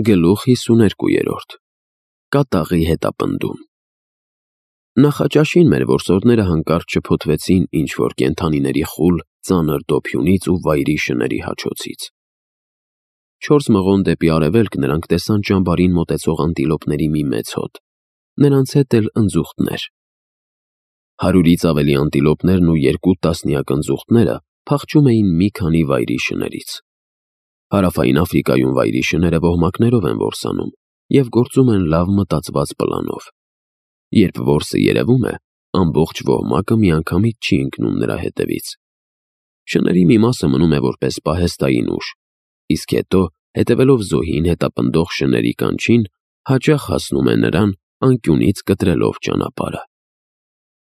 Գլուխ 52. Կատաղի հետապնդում։ Նախաճաշին մեր որսորդները հանկարծ չփոթվեցին ինչ-որ կենդանիների խուլ, ծանր դոփյունից ու վայրի շների հաչոցից։ 4 մղոն դեպի արևելք նրանք տեսան ճամբարին մոտեցող անտիլոպների մի մեծ հոտ, նրանց հետ էլ ընձուղտներ։ 100-ից ավելի անտիլոպներն ու 2 տասնյակ ընձուղտները փախչում էին մի քանի վայրի շներից։ Հարավային Աֆրիկայում վայրի շները ոհմակներով են որսանում և գործում են լավ մտածված պլանով։ Երբ որսը երևում է, ամբողջ ոհմակը միանգամից չի ընկնում նրա հետևից։ Շների մի մասը մնում է որպես պահեստային ուժ, իսկ հետո, հետևելով զոհին հետապնդող շների կանչին, հաճախ հասնում է նրան, անկյունից կտրելով ճանապարհը։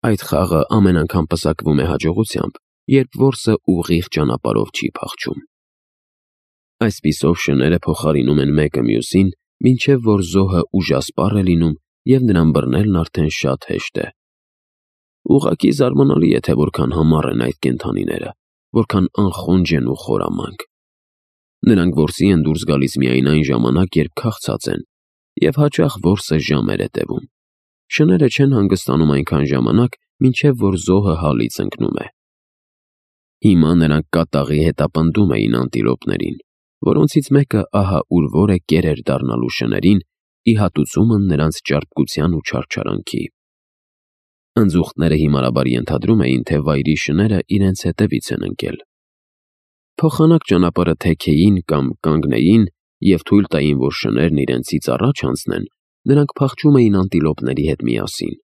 Այդ խաղը ամեն անգամ պսակվում է հաջողությամբ, երբ որսը ուղիղ ճանապարհով չի փախչում։ Այսպիսով շները փոխարինում են մեկը մյուսին, մինչև որ զոհը ուժասպառ է լինում և նրան բռնելն արդեն շատ հեշտ է։ Ուղղակի զարմանալի է, թե որքան համառ են այդ կենդանիները, որքան անխոնջ են ու խորամանկ։ Նրանք որսի են դուրս գալիս միայն այն ժամանակ, երբ քաղցած են, և հաճախ որսը ժամեր է տևում։ Շները չեն հանգստանում այնքան ժամանակ, մինչև որ զոհը հալից ընկնում է։ Հիմա նրանք կատաղի հետապնդում էին անտիլոպներին, որոնցից մեկը ահա ուր որ է կերեր դառնալու շներին, ի հատուցումն նրանց ճարպկության ու չարչարանքի։ Ընձուղտները հիմարաբար ենթադրում էին, թե վայրի շները իրենց հետևից են ընկել։ Փոխանակ ճանապարհը թեքեին կամ կանգնեին և թույլ տային, որ շներն իրենցից առաջ անցնեն, նրանք փախչում էին անտիլոպների հետ միասին։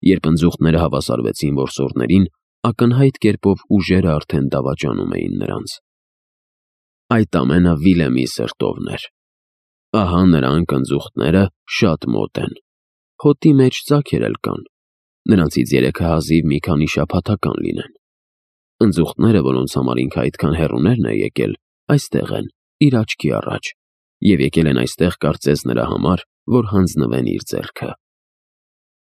Երբ ընձուղտները հավասարվեցին որսորդներին, ակնհայտ կերպով ուժերը արդեն դավաճանում էին նրանց։ Այդ ամենը Վիլեմի սրտովն էր։ Ահա նրանք ընձուղտները շատ մոտ են։ Հոտի մեջ ծակեր էլ կան։ Նրանցից 3-ը հազիվ մի քանի շաբաթական լինեն։ Ընձուղտները, որոնց համար ինքը այդքան հեռուներն է եկել, այստեղ են, իր աչքի առաջ, և եկել են այստեղ կարծես նրա համար, որ հանձնվեն իր ձեռքը։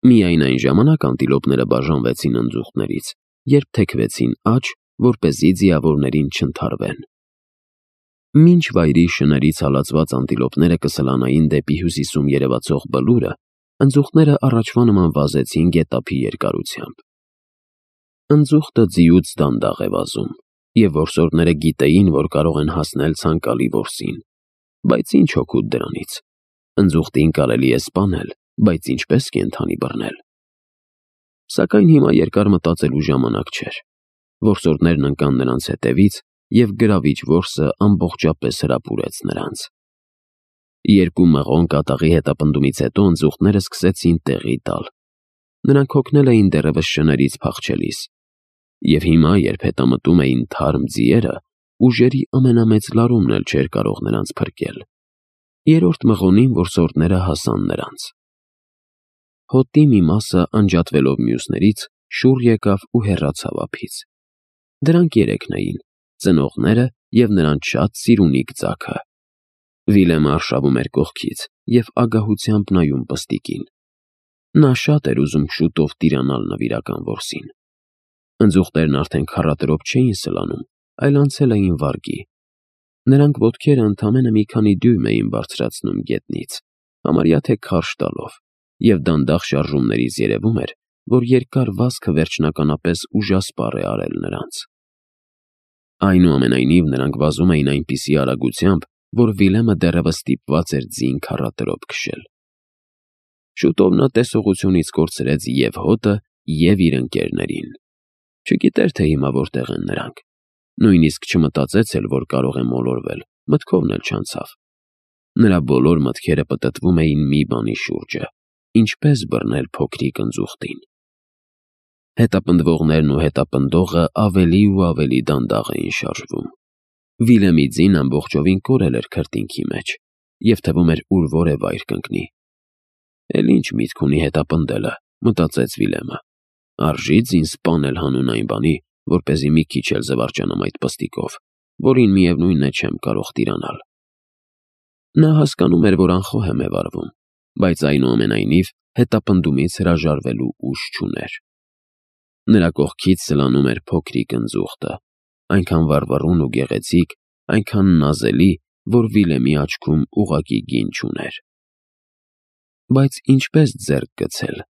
Միայն այն ժամանակ անտիլոպները բաժանվեցին ընձուղտներից, երբ թեքվեցին աջ, որպեսզի ձիավորներին չընդհարվեն։ Մինչ վայրի շներից հալածված անտիլոպները կսլանային դեպի հյուսիսում երևացող բլուրը, ընձուղտները առաջվա նման վազեցին գետափի երկարությամբ։ Ընձուղտը ձիուց դանդաղ է վազում, և որսորդները գիտեին, որ կարող են հասնել ցանկալի որսին, բայց ինչ օգուտ դրանից։ Ընձուղտին կարելի է սպանել, բայց ինչպես կենդանի բռնել։ Սակայն հիմա երկար մտածելու ժամանակ չէր։ Որսորդներն ընկան նրանց հետևից, և գրավիչ որսը ամբողջապես հրապուրեց նրանց։ 2 մղոն կատաղի հետապնդումից հետո ընձուղտները սկսեցին տեղի տալ։ Նրանք հոգնել էին դեռևս շներից փախչելիս։ Եվ հիմա, երբ հետամտում էին թարմ ձիերը, ուժերի ամենամեծ լարումն էլ չէր կարող նրանց փրկել։ 3-րդ մղոնին որսորդները հասան նրանց։ Հոտի մի մասը, անջատվելով մյուսներից, շուռ եկավ ու հեռացավ ափից։ Դրանք 3-ն էին՝ ծնողները և նրանց շատ սիրունիկ ձագը։ Վիլեմը արշավում էր կողքից և ագահությամբ նայում պստիկին։ Նա շատ էր ուզում շուտով տիրանալ նվիրական որսին։ Ընձուղտերն արդեն քառատրոփ չէին սլանում, այլ անցել էին վարգի։ Նրանք ոտքերը ընդամենը մի քանի դյույմ էին բարձրացնում գետնից, համարյա թե քարշ տալով, և դանդաղ շարժումներից երևում էր, որ երկար վազքը վերջնականապես ուժասպառ է արել նրանց։ Այնուամենայնիվ նրանք վազում էին այնպիսի արագությամբ, որ Վիլեմը դեռևս ստիպված էր ձին քառատրոփ քշել։ Շուտով նա տեսողությունից կորցրեց և հոտը, և իր ընկերներին։ Չգիտեր, թե հիմա որտեղ են նրանք։ Նույնիսկ չմտածեց էլ, որ կարող է մոլորվել, մտքովն էլ չանցավ։ Նրա բոլոր մտքերը պտտվում էին մի բանի շուրջը՝ ինչպես բռնել փոքրիկ ընձուղտին։ Հետապնդվողներն ու հետապնդողը ավելի ու ավելի դանդաղ էին շարժվում։ Վիլեմի ձին ամբողջովին կորել էր քրտինքի մեջ, և թվում էր ուր որ է վայր կընկնի։ Էլ ինչ միտք ունի հետապնդելը, մտածեց Վիլեմը։ Արժի ձին սպանել հանուն այն բանի, որպեսզի մի քիչ էլ զվարճանամ այդ պստիկով, որին միևնույնն է չեմ կարող տիրանալ։ Նա հասկանում էր, որ անխոհեմ է վարվում, բայց այնուամենայնիվ հետապնդումից հրաժարվելու ուժ չուներ։ Նրա կողքից սլանում էր փոքրիկ ընձուղտը, այնքան վառվռուն ու գեղեցիկ, այնքան նազելի, որ Վիլեմի աչքում ուղղակի գին չուներ։ Բայց ինչպես ձեռք գցել։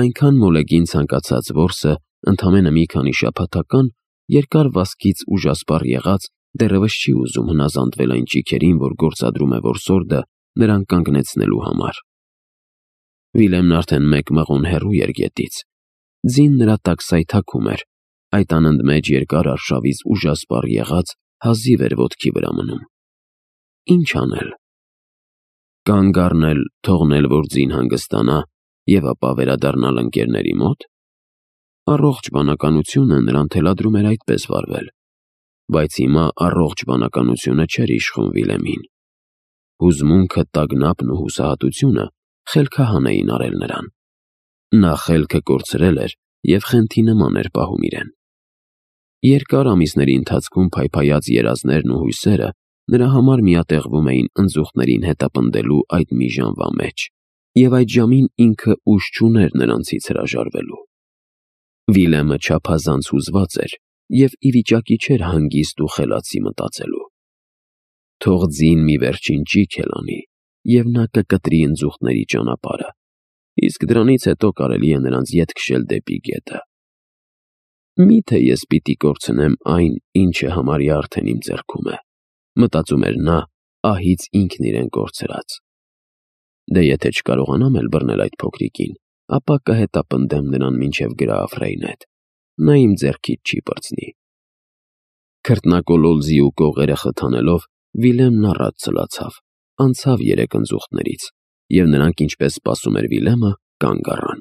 Այնքան մոլեգին ցանկացած որսը ընդամենը մի քանի շաբաթական երկար վազքից ուժասպառ եղած դեռևս չի ուզում հնազանդվել այն ճիգերին, որ գործադրում է որսորդը նրան կանգնեցնելու համար։ Վիլեմն արդեն մեկ մղոն հեռու էր գետից։ Ձին նրա տակ սայթաքում էր, այդ անընդմեջ երկար արշավից ուժասպառ եղած հազիվ էր ոտքի վրա մնում։ Ինչ անել։ Կանգ առնել, թողնել, որ ձին հանգստանա և ապա վերադառնալ ընկերների մոտ։ Առողջ բանականությունը նրան թելադրում էր այդպես վարվել, բայց հիմա առողջ բանականությունը չէր իշխում Վիլեմին։ Հուզմունքը, տագնապն ու հուսահատությունը խելքահան էին արել նրան։ Նա խելքը կորցրել էր և խենթի նման էր պահում իրեն։ Երկար ամիսների ընթացքում փայփայած երազներն ու հույսերը նրա համար միատեղվում էին ընձուղտներին հետապնդելու այդ մի ժամվա մեջ, և այդ ժամին ինքը ուժ չուներ նրանցից հրաժարվելու։ Վիլեմը չափազանց հուզված էր և ի վիճակի չէր հանգիստ ու խելացի մտածելու։ Թող ձին մի վերջին ճիգ էլ անի, և նա կկտրի ընձուղտների ճանապարհը, իսկ դրանից հետո կարելի է նրանց ետ քշել դեպի գետը։ Մի՞թե ես պիտի կորցնեմ այն, ինչը համարյա արդեն իմ ձեռքում է, մտածում էր նա, ահից ինքն իրեն կորցրած։ Դե եթե չկարողանամ էլ բռնել այդ փոքրիկին, ապա կհետապնդեմ նրան մինչև Գրաֆ Ռեյնեդ, նա իմ ձեռքից չի պրծնի։ Քրտնակոլոլ ձիու կողերը խթանելով Վիլեմն առաջ ցլացավ, անցավ երեք ընձուղտներից, և նրանք, ինչպես սպասում էր Վիլեմը, կանգ առան։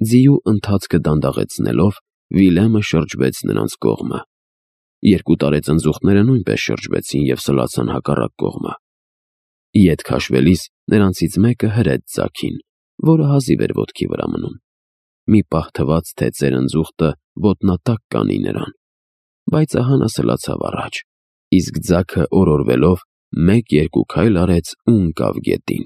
Ձիու ընթացքը դանդաղեցնելով Վիլեմը շրջվեց նրանց կողմը։ Երկու տարեց ընձուղտները նույնպես շրջվեցին և սլացան հակառակ կողմը։ Ետ քաշվելիս նրանցից մեկը հրեց ձագին, որը հազիվ էր ոտքի վրա մնում։ Մի պահ թվաց, թե ծեր ընձուղտը ոտնատակ կանի նրան, բայց ահա նա սլացավ առաջ, իսկ ձագը օրորվելով 1-2 քայլ արեց ու ընկավ գետին։